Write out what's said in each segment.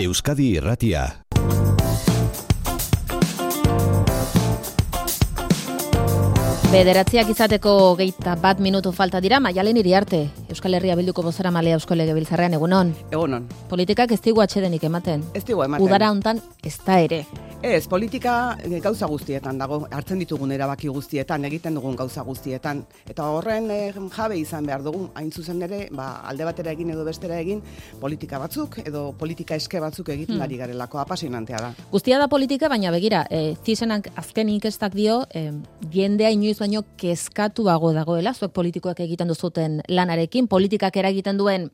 Euskadi Irratia. Bederatziak izateko 21 minutu falta dira. Maialen Iriarte, Euskal Herria Bilduko bozeramalea Eusko Legebiltzarrean, egunon. Egunon. Politikak ez digu atsedenik ematen. Ez digu ematen. Udara hontan ez da ere. Ez, politika gauza guztietan dago, hartzen ditugun erabaki guztietan, egiten dugun gauza guztietan. Eta horren jabe izan behar dugu, hain zuzen ere, alde batera egin edo bestera egin, politika batzuk edo politika eske batzuk egiten ari garelako, apasionantea da. Guztia da politika, baina begira, zizenak azken inkestak dio, jendea inoiz baino kezkatuago dagoela, zuek politikoak egiten duzuten lanarekin, politikak eragiten duen,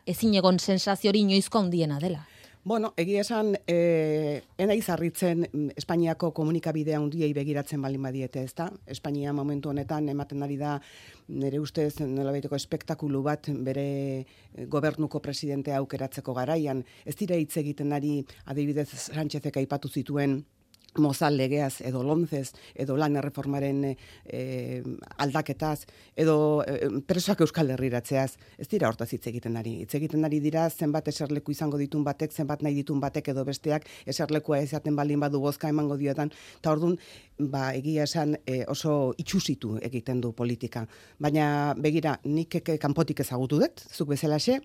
ezin egon sensazio hori inoizko handiena dela. Bueno, egia esan, enaiz harritzen Espainiako komunikabidea handiei begiratzen baldin badiete, ezta? Espainia momentu honetan ematen ari da nire ustez nolabaiteko espektakulu bat bere gobernuko presidentea aukeratzeko garaian. Ez dira hitz egiten ari adibidez Sánchezek aipatu zituen Mozal legeaz, edo lonzez, edo lan erreformaren aldaketaz, edo presoak Euskal Herriratzeaz. Ez dira hortaz hitz egiten ari. Hitz egiten ari dira zenbat eserleku izango ditun batek, zenbat nahi ditun batek edo besteak eserlekua ezaten baldin badu bozka emango diotan. Eta orduan, egia esan oso itxusitu egiten du politika. Baina begira, nik kanpotik ezagutu dut, zuk bezalaxe,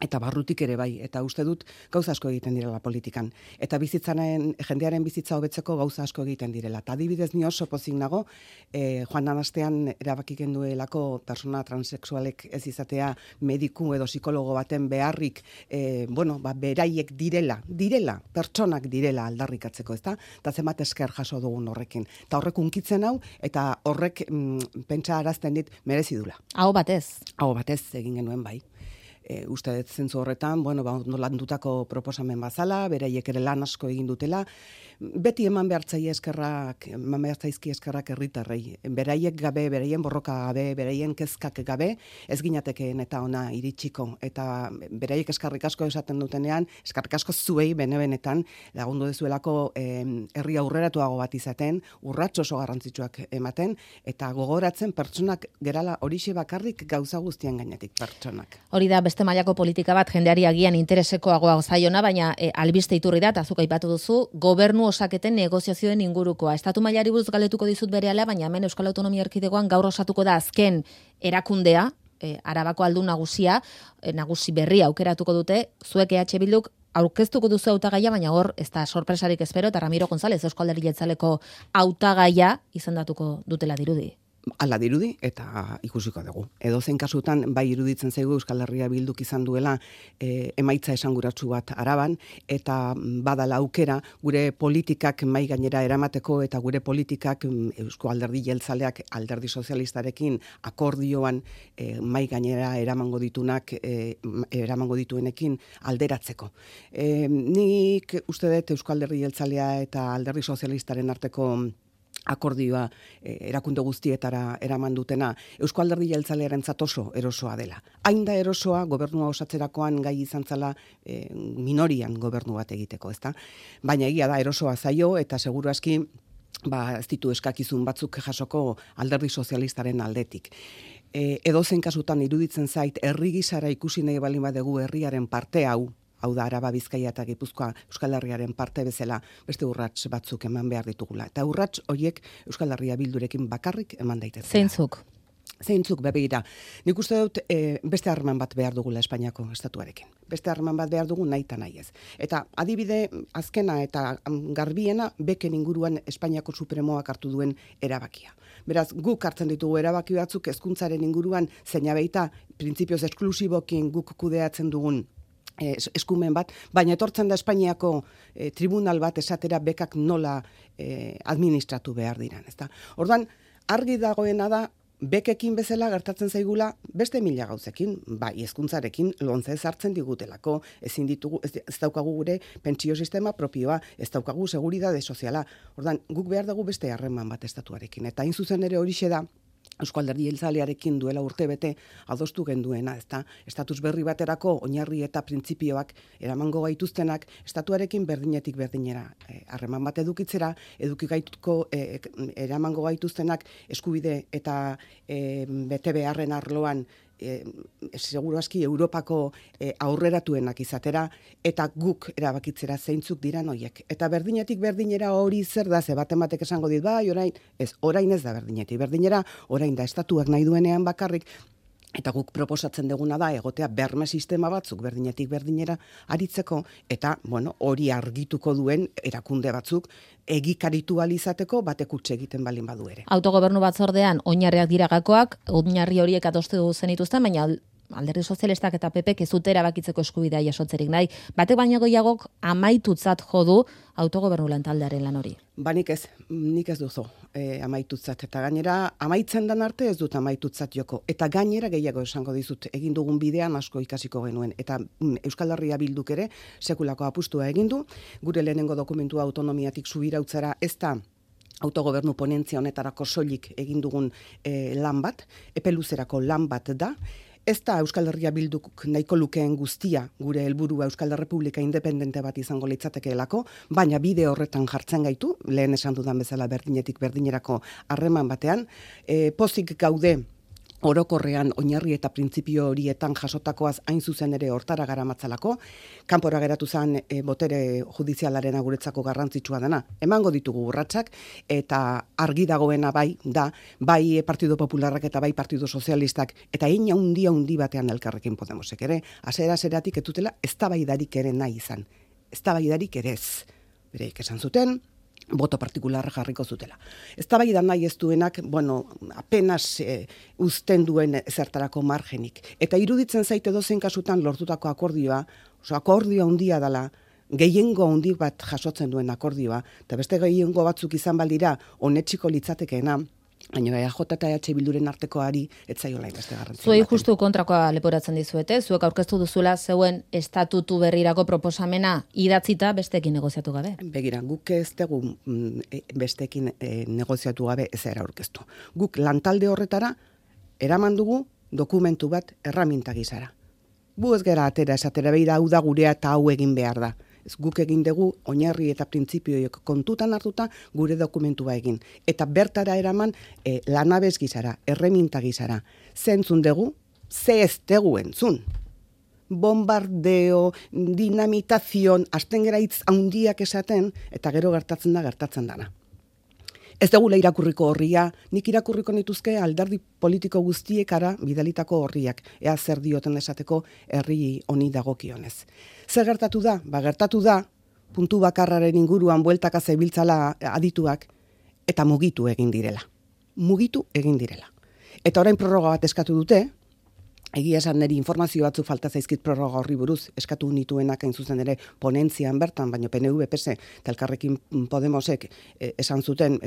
eta barrutik ere bai, eta uste dut gauza asko egiten direla politikan. Eta jendearen bizitza hobetzeko gauza asko egiten direla. Eta adibidez ni oso pozik nago, joan den astean erabakiken duelako persona transexualek ez izatea mediku edo psikologo baten beharrik, beraiek direla, pertsonak direla aldarrikatzeko, ezta? Eta zenbat esker jaso dugun horrekin. Eta horrek unkitzen hau, eta horrek pentsa arazten dit merezi dula. Aho batez. Aho batez egin genuen bai. Uste dut zentzu horretan, landutako proposamen bazala, beraiek ere lan asko egin dutela, beti eman behartzaizki eskerrak herritarrei. Beraiek gabe, beraien borroka gabe, beraien kezkak gabe, ez ginatekeen eta ona iritsiko. Eta beraiek eskarrik asko esaten dutenean, eskarrik asko zuei benetan lagundu dezuelako herri aurreratuago bat izaten, urrats oso garrantzitsuak ematen, eta gogoratzen pertsonak gerala horixe bakarrik gauza guztien gainetik pertsonak. Hori da beste mailako politika bat jendeari agian interesekoagoa zaiona, baina albiste iturri da, eta zuk aipatu duzu, gobernu osaketen negoziazioen ingurukoa. Estatu mailari buruz galdetuko dizut berehala, baina hemen Euskal Autonomia Erkidegoan gaur osatuko da azken erakundea, Arabako aldun nagusi berria aukeratuko dute, zuek EH Bilduk aurkeztuko duzu hautagaia, baina hor ez da sorpresarik espero, eta Ramiro González Eusko Alderdi Jeltzaleko hautagaia izendatuko dutela dirudi. Hala dirudi eta ikusiko dugu. Edozein kasutan bai iruditzen zaigu Euskal Herria Bilduk izan duela emaitza esanguratsu bat Araban, eta badala aukera gure politikak mai gainera eramateko eta gure politikak Eusko Alderdi Jeltzaleak Alderdi Sozialistarekin akordioan mai gainera eramango dituenekin alderatzeko. Nik uste dut Eusko Alderdi Jeltzalea eta Alderdi Sozialistaren arteko akordioa erakunde guztietara eraman dutena Eusko Alderdi Jeltzalearentzat oso erosoa dela. Hain da erosoa gobernua osatzerakoan gai izan zela minorian gobernu bat egiteko, ezta? Baina egia da erosoa zaio eta seguru aski ez ditu eskakizun batzuk jasoko Alderdi Sozialistaren aldetik. Edozein kasutan iruditzen zait herri gisara ikusi nahi baldin badugu herriaren parte hau da Araba, Bizkaia eta Gipuzkoa Euskal Herriaren parte bezala beste urrats batzuk eman behar ditugula. Eta urrats horiek Euskal Herria Bildurekin bakarrik eman daitezela. Zeintzuk begira. Nik uste dut beste harreman bat behar dugula Espainiako estatuarekin. Beste harreman bat behar dugu nahi eta nahi ez. Eta adibide azkena eta garbiena beken inguruan Espainiako Supremoak hartu duen erabakia. Beraz, guk hartzen ditugu erabaki batzuk hezkuntzaren inguruan zeina beita printzipioz esklusibokin guk kudeatzen dugun eskumen bat, baina etortzen da Espainiako tribunal bat esatera bekak nola administratu behar diran, ezta? Orduan, argi dagoena da bekekin bezala gertatzen zaigula beste mila gauzekin, hezkuntzarekin lontzez hartzen digutelako, ez daukagu gure pentsio sistema propioa, ez daukagu seguridade soziala. Orduan, guk behar dugu beste harreman bat estatuarekin, eta hain zuzen ere horixe da Eusko Alderdi Jeltzalearekin duela urtebete adostu genduena, ezta? Estatus berri baterako oinarri eta printzipioak eramango gaituztenak estatuarekin berdinetik berdinera harreman bat edukiko eramango gaituztenak eskubide eta bete beharren arloan seguru aski Europako aurreratuenak izatera, eta guk erabakitzera zeintzuk diran hoiek. Eta berdinetik berdinera hori zer da, ze baten batek esango dit, bai, orain ez da berdinetik berdinera, orain da estatuak nahi duenean bakarrik, eta guk proposatzen duguna da egotea berme sistema batzuk berdinetik berdinera aritzeko, eta hori argituko duen erakunde batzuk egikaritu alizateko batek utxe egiten balin badu ere. Autogobernu batzordean oinarriak dira gakoak, oinarri horiek adostu zenituzten, baina Alderdi Sozialistak eta PPek ez dute erabakitzeko eskubidea jasotzerik nahi. Batek baino gehiagok amaitutzat jo du autogobernu lantaldearen lan hori. Nik ez duzu amaitutzat, eta gainera amaitzen dan arte ez dut amaitutzat joko, eta gainera gehiago esango dizut, egin dugun bidean asko ikasiko genuen, eta Euskal Herria Bilduk ere sekulako apustua egin du, gure lehenengo dokumentua autonomiatik subirautzara ez da autogobernu ponentzia honetarako soilik egin dugun lan bat, epe luzerako lan bat da. Ez da Euskal Herria Bilduk nahiko lukeen guztia gure helburua Euskal Errepublika independente bat izango litzatekeelako, baina bide horretan jartzen gaitu, lehen esan dudan bezala berdinetik berdinerako harreman batean, pozik gaude orokorrean oinarri eta printzipio horietan jasotakoaz hain zuzen ere hortara garamatzalako, kanpora geratu zen botere judizialaren guretzako garrantzitsua dena. Emango ditugu urratsak, eta argi dagoena bai Partido Popularrak eta bai Partido Sozialistak, eta hein handi batean Elkarrekin Podemosek ere, hasiera-hasieratik ez dutela eztabaidarik ere nahi izan. Eztabaidarik ere ez. Bereik esan zuten, boto partikularra jarriko zutela. Eztabaida nahi ez duenak, apenas uzten duen zertarako margenik. Eta iruditzen zaite dozen kasutan lortutako akordioa, akordioa handia dela, gehiengo handi bat jasotzen duen akordioa, eta beste gehiengo batzuk izan baldira honetsiko litzatekeena, baina EJ eta EH Bilduren artekoari ez zaiola beste garrantzia. Zuei justu kontrakoa leporatzen dizuete, zuek aurkeztu duzula zeuen estatutu berrirako proposamena idatzita besteekin negoziatu gabe. Begira, guk ez dugu besteekin negoziatu gabe ezera aurkeztu. Guk lantalde horretara eraman dugu dokumentu bat erraminta gizara. Bu ez gara atera esatera beira hau da gurea eta hau egin behar da. Ez guk egin dugu oinarri eta printzipioiek kontutan hartuta gure dokumentua egin. Eta bertara eraman lanabez gizara, erreminta gizara. Zentzun dugu, ze ez dugu entzun. Bombardeo, dinamitazion, hasten gera hitz handiak esaten, eta gero gertatzen dana. Ez dugula irakurriko horria, nik irakurriko nituzke alderdi politiko guztiekara bidalitako horriak, ea zer dioten esateko herri honi dagokionez. Zer gertatu da? Gertatu da, puntu bakarraren inguruan bueltaka zebiltzala adituak, eta mugitu egin direla. Eta orain prorroga bat eskatu dute, egia esan niri informazio batzuk falta zaizkit prorroga horri buruz, eskatu nituenak hain zuzen ere ponentzian bertan, baina PNV, PS eta Elkarrekin Podemosek esan zuten,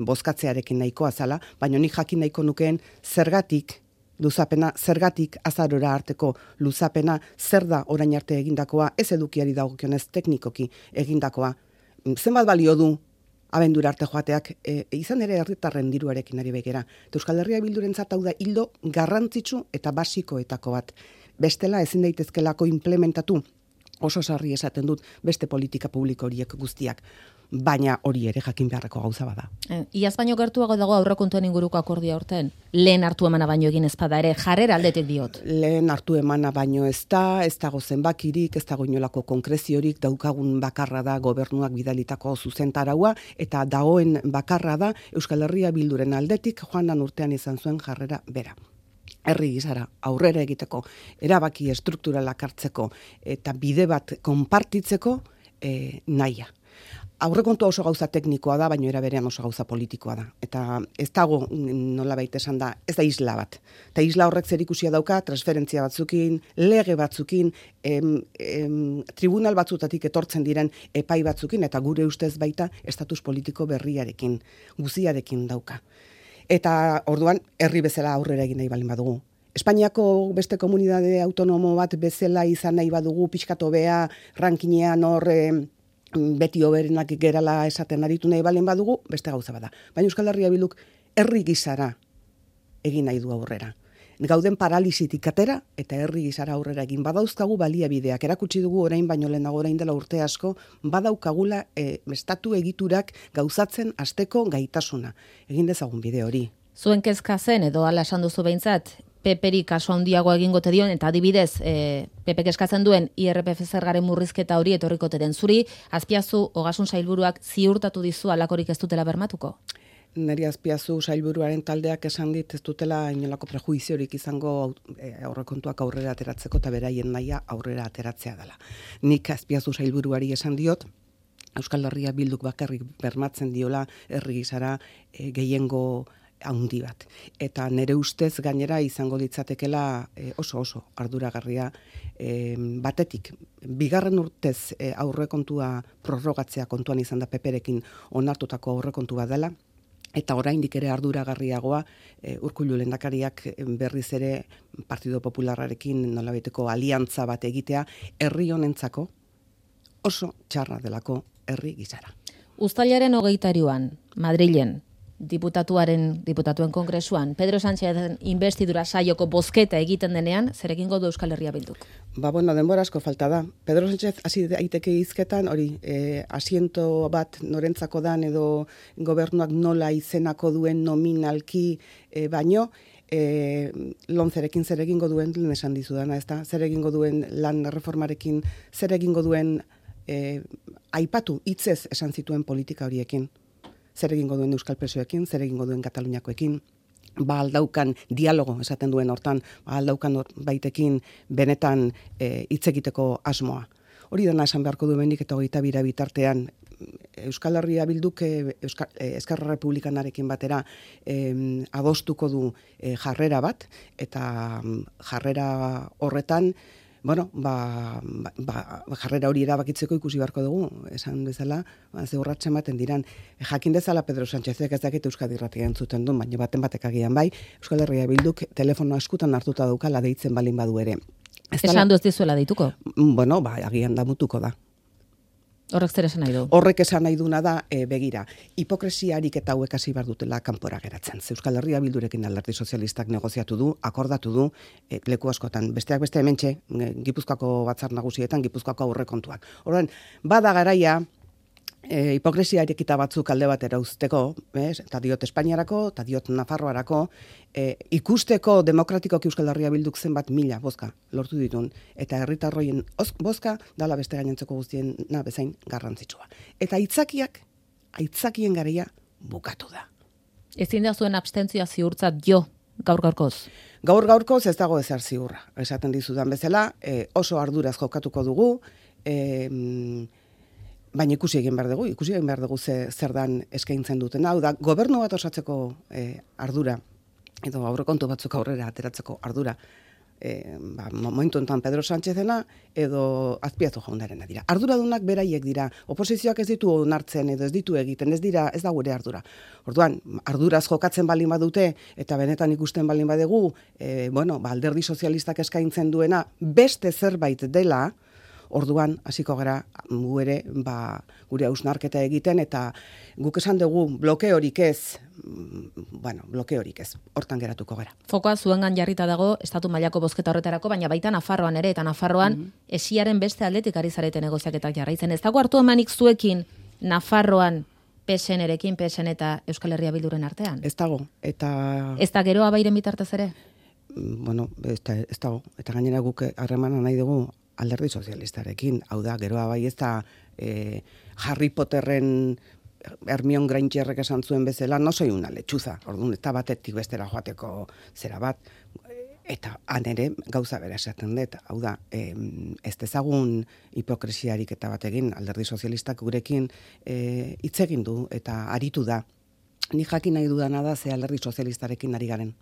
bozkatzearekin nahikoa zala, baina nik jakin nahiko nukeen zergatik azarora arteko luzapena, zer da orain arte egindakoa, ez edukiari dagokionez teknikoki egindakoa. Zenbat balio du abendura arte joateak, izan ere herritarren diruarekin ari begera. Euskal Herria Bildurentzat hau da hildo garrantzitsu eta basikoetako bat. Bestela ezin daitezkelako implementatu, oso sarri esaten dut, beste politika publiko horiek guztiak. Baina hori ere jakin beharreko gauza bada. Iaz baino gertuago dago aurrekontuen inguruko akordia horten. Lehen hartu emana baino egin ezpada ere, jarrera aldetik diot. Lehen hartu emana baino ez dago zenbakirik, ez dago inolako konkreziorik, daukagun bakarra da gobernuak bidalitako zuzentaraua, eta dagoen bakarra da Euskal Herria Bilduren aldetik joan urtean izan zuen jarrera bera. Herri gizara aurrera egiteko, erabaki estrukturalak hartzeko, eta bide bat konpartitzeko nahia. Aurrekontu oso gauza teknikoa da, baina era berean oso gauza politikoa da. Eta ez dago, nolabait esan da, ez da isla bat. Eta isla horrek zerikusia dauka, transferentzia batzukin, lege batzukin, tribunal batzutatik etortzen diren epai batzukin, eta gure ustez baita estatus politiko berriarekin, guziarekin dauka. Eta orduan, herri bezala aurrera egin nahi balin badugu. Espainiako beste komunitate autonomo bat bezala izan nahi badugu, pixkat hobea, rankinean hor beti hoberenak gerala esaten aritu nahi balen badugu, beste gauza bada. Baina Euskal Herria Bilduk herri gizara egin nahi du aurrera. Gauden paralisitik atera eta herri gizara aurrera egin badauzkagu baliabideak. Erakutsi dugu orain baino lehenago orain dela urte asko, badaukagula estatu egiturak gauzatzen hasteko gaitasuna. Egin dezagun bide hori. Zuen kezka zen, edo ala esan duzu behintzat, PPri kaso handiago egingote dion, eta adibidez, PPk eskatzen duen IRPF zergaren murrizketa hori etorrikote den. Zuri, Azpiazu Ogasun Sailburuak ziurtatu dizu alakorik ez dutela bermatuko? Neri Azpiazu Sailburuaren taldeak esan dit ez dutela inolako prejuiziorik izango aurrekontuak aurrera ateratzeko eta beraien nahia aurrera ateratzea dela. Nik Azpiazu Sailburuari esan diot, Euskal Herria Bilduk bakarrik bermatzen diola herri gisara gehiengo handi bat. Eta nire ustez gainera izango ditzatekela oso arduragarria batetik. Bigarren urtez aurrekontua prorrogatzea kontuan izan da PPrekin onartutako aurrekontua dela, eta oraindik ere arduragarriagoa Urkullu lehendakariak berriz ere Partido Popularrarekin nolabaiteko aliantza bat egitea herri honentzako oso txarra delako herri gisara. Uztailaren 23an, Madrilen, diputatuen kongresuan, Pedro Sánchezen investidura saioko bozketa egiten denean, zer egingo du Euskal Herria Bilduk? Denbora asko falta da. Pedro Sánchez hasi daiteke hizketan, hori, asiento bat norentzako dan edo gobernuak nola izenako duen nominalki baino, lonzerekin zer egingo duen, lehen esan dizudana, ezta? Zer egingo duen lan reformarekin, zer egingo duen aipatu hitzez esan zituen politika horiekin. Zer egingo duen Euskal Presoekin, zer egingo duen Kataluniakoekin, aldaukan dialogo esaten duen hortan, aldaukan baitekin benetan hitz egiteko asmoa. Hori dena esan beharko duenik eta 22 bitartean Euskal Herria Bilduk Eskerra Republikanarekin batera adostuko du jarrera bat, eta jarrera horretan jarrera hori erabakitzeko ikusi beharko dugu, esan bezala, ze urratsen ematen diran. Jakin dezala Pedro Sánchezek ez dakit Euskadi Irratia entzuten duen, baina batek agian bai, Euskal Herria Bilduk telefonoa eskutan hartuta daukala deitzen balin badu ere. Esan du ez dizuela deituko? Agian damutuko da. Horrek zer esan nahi du? Horrek esan nahi duna da, begira, hipokresiarik eta hauek hasi behar dutela kanpora geratzen. Euskal Herria Bildurekin Alderdi Sozialistak negoziatu du, akordatu du, leku askotan, besteak beste hementxe, Gipuzkoako batzar nagusietan, Gipuzkoako aurrekontuak. Orduan, bada garaia, hipokresiarik eta batzuk alde batera uzteko, eta diot Espainiarako, eta diot Nafarroarako, ikusteko demokratikoki Euskal Herria Bilduk zenbat mila bozka lortu ditun, eta herritarroien bozka dala beste gainentzeko guztien bezain garrantzitsua. Eta aitzakien garaia bukatu da. Ezin da zuen abstentzioa ziurtzat jo, gaur-gaurkoz? Gaur-gaurkoz ez dago ezer ziurra. Esaten dizudan bezala, oso arduraz jokatuko dugu, baina ikusi egin behar dugu zer dan eskaintzen duten. Hau da, gobernu bat osatzeko ardura, edo aurrekontu batzuk aurrera ateratzeko ardura, momentu enten Pedro Sánchezena edo Azpiazu jaunarena dira. Arduradunak beraiek dira. Oposizioak ez ditu onartzen edo ez ditu egiten, ez da gure ardura. Orduan, arduraz jokatzen balin badute eta benetan ikusten balin badegu, Alderdi Sozialistak eskaintzen duena beste zerbait dela, orduan hasiko gara gure hausnarketa egiten, eta guk esan dugu blokeorik ez, hortan geratuko gara. Fokoa zuengan jarrita dago estatu mailako bozketa horretarako, baina baita Nafarroan ere, eta Nafarroan esiaren beste aldetik ari zarete negoziaketak jarraitzen. Ez dago hartu emanik zuekin Nafarroan PSN-erekin, PSN eta Euskal Herria Bilduren artean? Ez dago, eta... Ez da geroa bairen bitartez ere? Ez dago, eta gainera guk harremana nahi dugu Alderdi Sozialistarekin, hau da, geroa bai ez da Harry Potterren Hermione Grangerrek esan zuen bezala, no soy una lechuza, orduan, eta batetik bestera joateko zera bat, eta han ere gauza bera esaten dut, hau da, ez dezagun hipokresiarik eta batekin, Alderdi Sozialistak gurekin hitz egin du eta aritu da. Ni jakin nahi dudana da ze Alderdi Sozialistarekin ari garen.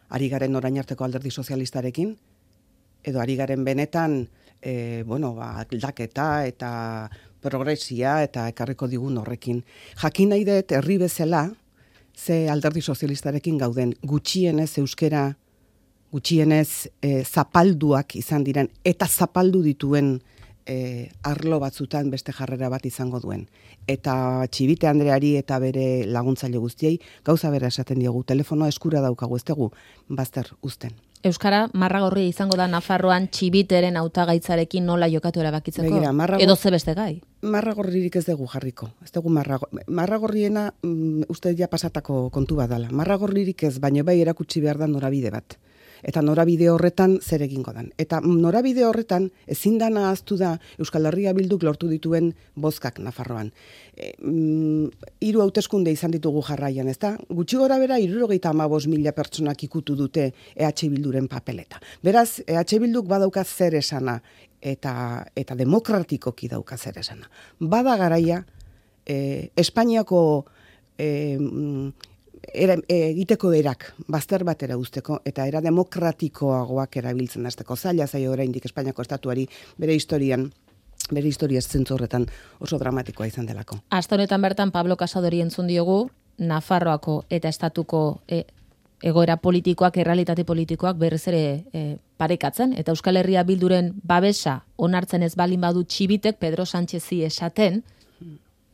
Ari garen orain arteko Alderdi Sozialistarekin, edo ari garen benetan aldaketa eta progresia eta ekarriko digun horrekin. Jakin nahi dut herri bezala ze Alderdi Sozialistarekin gauden, gutxienez euskera, gutxienez zapalduak izan diren eta zapaldu dituen arlo batzutan beste jarrera bat izango duen. Eta Txibite Andreari eta bere laguntzaile guztiei gauza bera esaten diogu, telefonoa eskura daukagu, ez dugu bazter uzten. Euskara marragorria izango da Nafarroan Txibiteren hautagaitzarekin nola jokatu erabakitzeko? Edo ze beste gai? Marragorririk ez dugu jarriko. Ez dugu marragorriena uste ja pasatako kontu bat dela. Marragorririk ez, baina bai erakutsi behar da norabide bat. eta norabide horretan zer egingo dan. Eta norabide horretan ezin dana ahaztu da Euskal Herria Bilduk lortu dituen bozkak Nafarroan. 3 hauteskunde izan ditugu jarraian, ezta? Gutxi gorabehera 75.000 pertsonak ikutu dute EH Bilduren papeleta. Beraz, EH Bilduk badauka zer esana eta demokratikoki dauka zer esana. Bada garaia Espainiako egiteko erak, bazter batera uzteko, eta era demokratikoagoak erabiltzen hasteko. Zaila zaio oraindik Espainiako estatuari bere historia zentzu horretan oso dramatikoa izan delako. Aste honetan bertan Pablo Casadori entzun diogu, Nafarroako eta estatuko egoera politikoak, errealitate politikoak berriz ere parekatzen, eta Euskal Herria Bilduren babesa onartzen ez balin badu Txibitek Pedro Sánchezi esaten,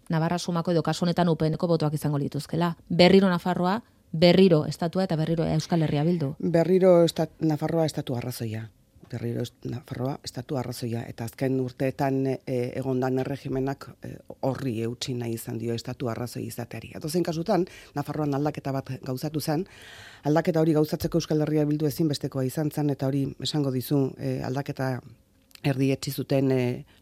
Navarra sumako edo kasu honetan UPNeko botoak izango lituzkela. Berriro Nafarroa, berriro estatua eta berriro Euskal Herria Bildu. Berriro Nafarroa estatu arrazoia. Eta azken urteetan egondan erregimenak horri eutsi nahi izan dio estatu arrazoi izateari. Edozein kasutan, Nafarroan aldaketa bat gauzatu zen, aldaketa hori gauzatzeko Euskal Herria Bildu ezinbestekoa izan zen, eta hori esango dizu aldaketa erdietsi zuten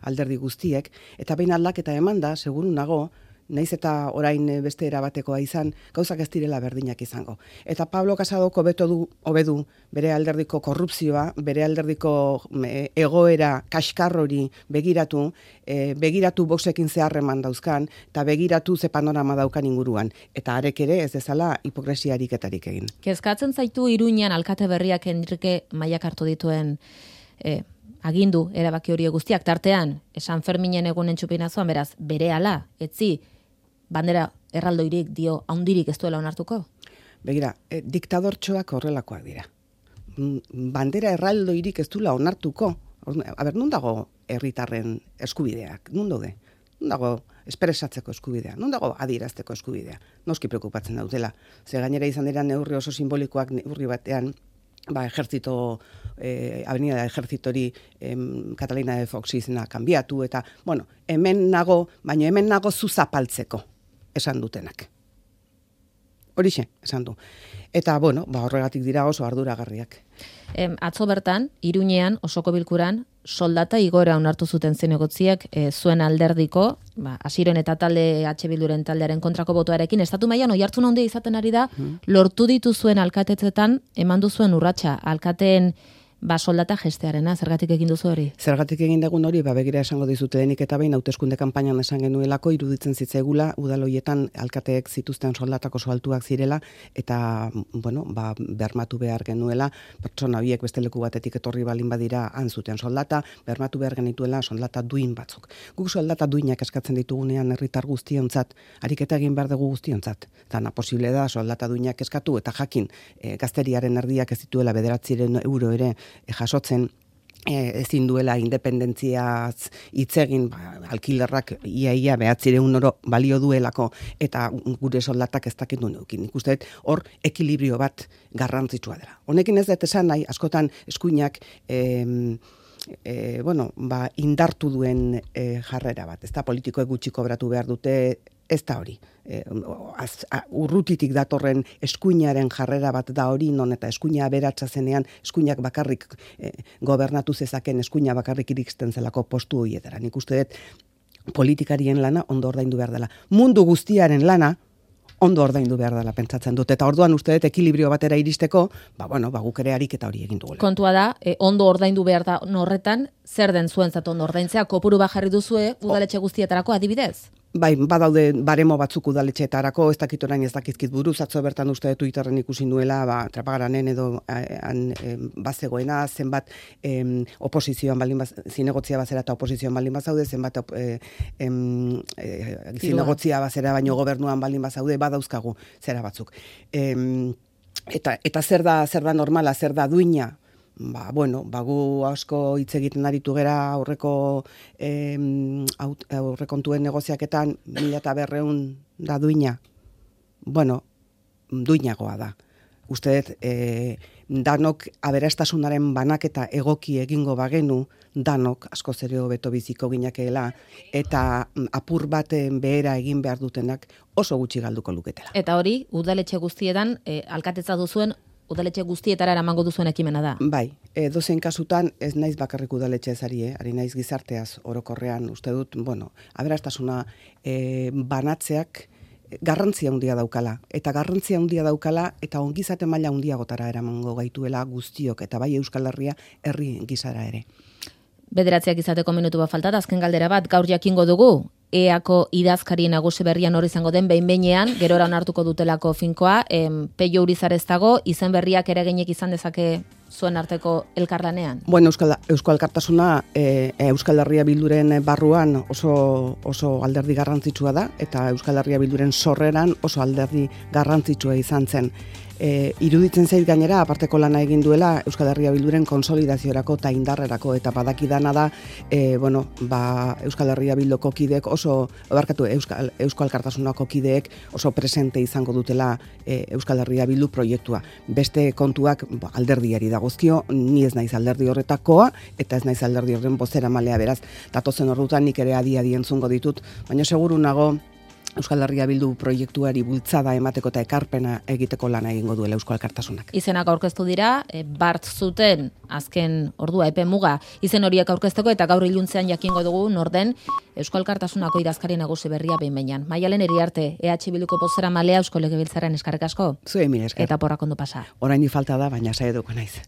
alderdi guztiek, eta behin aldaketa eman da, seguru nago, naiz eta orain beste erabatekoa izan, gauzak ez direla berdinak izango. Eta Pablo Casadok hobedu bere alderdiko korrupzioa, bere alderdiko egoera kaskar hori begiratu Voxekin zeharreman dauzkan, eta begiratu ze panorama daukan inguruan. Eta arek ere ez dezala hipokresia ariketarik egin. Kezkatzen zaitu Iruñan alkate berriak Enrique Maiak hartu dituen agindu erabaki hori guztiak tartean, San Ferminen egunen txupinazoan, beraz, berehala, etzi, bandera erraldoirik dio haundirik ez duela onartuko? Begira, diktadortxoak horrelakoak dira. Bandera erraldoirik ez duela onartuko. Non dago herritarren eskubideak? Non daude? Non dago espresatzeko eskubidea? Non dago adierazteko eskubidea? Noski preokupatzen daudela. Ze gainera izan dira neurri oso simbolikoak neurri batean, ejertzito, avenida de ejertzitori Catalina de Fox izena kanbiatu, eta, hemen nago zu zapaltzeko, esan dutenak. Horixe, esan du. Eta, horregatik dira oso arduragarriak. Atzo bertan, Iruñean, osoko bilkuran, soldata igoera onartu zuten zinegotziak zuen alderdiko, Asiron eta talde H Bilduren taldearen kontrako botoarekin, estatu mailan oihartzun handia izaten ari da, lortu ditu zuen alkatetzetan, eman duzuen urratsa, alkateen soldata gestearena, zergatik egin duzu hori? Zergatik egin dugun hori, begira esango dizute lehenik eta behin hauteskunde kanpainan esan genuelako, iruditzen zitzaigula, udaloietan alkateek zituzten soldatako oso altuak zirela, eta, bermatu behar genuela, pertsona horiek beste leku batetik etorri balin badira han zuten soldata, bermatu behar genituela soldata duin batzuk. Guk soldata duinak eskatzen ditugunean herritar guztiontzat, ariketa egin behar dugu guztiontzat. Eta posible da soldata duinak eskatu, eta jakin gazteriaren erdiak ez dituela 900 euro ere jasotzen, ezin duela independentziaz hitz egin, alkilerrak ia 900 euro balio duelako, eta gure soldatak ez dakit duen eukin. Nik uste hor ekilibrio bat garrantzitsua dela. Honekin ez dut esan nahi, askotan eskuinak indartu duen jarrera bat. Ez da politikoek gutxi kobratu behar dute, ez da hori. Urrutitik datorren eskuinaren jarrera bat da hori, non eta eskuina aberatsa zenean, eskuinak bakarrik gobernatu zezaken, eskuina bakarrik iristen zelako postu horietara. Nik uste dut politikarien lana ondo ordaindu behar dela. Mundu guztiaren lana ondo ordaindu behar dela pentsatzen dut. Eta orduan uste dut ekilibrio batera iristeko, guk ere ariketa hori egin dugula. Kontua da, ondo ordaindu behar da horretan, zer den zuentzat ondo ordaintzea, kopuru bajarri duzue udaletxe guztietarako adibidez? Badaude baremo batzuk udaletxeetarako, ez dakit orain ez dakizkit buruz, atzo bertan uste dut Twitterren ikusi nuela, Trapagaranen edo bazegoena, zenbat oposizioan baldin zinegotzia bazera eta oposizioan baldin bazaude, zenbat zinegotzia bazera baino gobernuan baldin bazaude, badauzkagu zera batzuk. Eta zer da normala, zer da duina? Gu asko hitz egiten aritu gera aurrekontuen negoziaketan 1.200 da duina. Duinagoa da. Uste dut, danok aberastasunaren banaketa egoki egingo bagenu, danok asko ere hobeto biziko ginakeela, eta apur baten behera egin behar dutenak oso gutxi galduko luketela. Eta hori, udaletxe guztietan, alkatetza duzuen udaletxe guztietara eramango duzuen ekimena da. Bai, dozein kasutan ez naiz bakarrik udaletxe ezari, ari naiz gizarteaz orokorrean, uste dut, aberastasuna banatzeak garrantzia handia daukala, eta garrantzia handia daukala, eta ongizate maila handiagotara eramango gaituela guztiok, eta bai Euskal Herria herri gisara ere. Bederatziak izateko minutu bat falta, azken galdera bat, gaur jakingo dugu, EAko idazkari nagusi berrian hori izango den behin-behinean, gerora onartuko dutelako finkoa, Peio Urizar ez dago, izen berriak eraginek izan dezake zuen arteko elkarlanean? Bueno, Euskal Alkartasuna Euskal Herria Bilduren barruan oso alderdi garrantzitsua da, eta Euskal Herria Bilduren sorreran oso alderdi garrantzitsua izan zen. Iruditzen zait gainera, aparteko lana egin duela Euskal Herria Bilduren konsolidaziorako eta indarrerako, eta badakidana da, Euskal Herria Bilduko kideek Euskal Alkartasunako kideek oso presente izango dutela Euskal Herria Bildu proiektua. Beste kontuak alderdiari dagozkio, ni ez naiz alderdi horretakoa, eta ez naiz alderdi horren bozeramalea, beraz, datozen ordutan nik ere adi entzungo ditut, baina seguru nago Euskal Herria Bildu proiektuari bultzada emateko eta ekarpena egiteko lana egingo duela Euskal Alkartasunak. Izenak aurkeztu dira, bart zuten azken ordua epe muga izen horiek aurkezteko, eta gaur iluntzean jakingo dugu norden Euskal Alkartasunako idazkari nagusi berria behin-behinean. Maialen Iriarte, EH Bilduko bozeramalea Eusko Legebiltzarrean eskerrik asko. Zuei mila esker. Eta porrak ondo pasa. Orain falta da, baina saiatuko naiz.